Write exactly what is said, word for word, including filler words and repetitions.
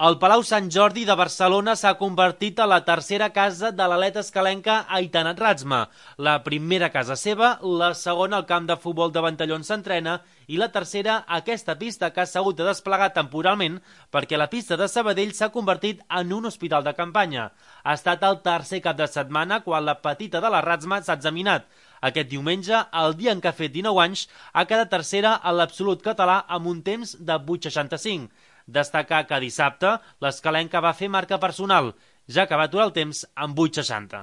El Palau Sant Jordi de Barcelona s'ha convertit a la tercera casa de l'atleta escalenca Aitanat Ratsma. La primera casa seva, la segona al camp de futbol de Ventalló on s'entrena i la tercera aquesta pista que s'ha hagut de desplegar temporalment perquè la pista de Sabadell s'ha convertit en un hospital de campanya. Ha estat el tercer cap de setmana quan la petita de la Ratsma s'ha examinat. Aquest diumenge, el dia en què ha fet dinou anys, ha quedat tercera a l'absolut català amb un temps de vuit coma seixanta-cinc. Destacar que dissabte l'escalenca va fer marca personal, ja que va aturar el temps amb vuit coma seixanta.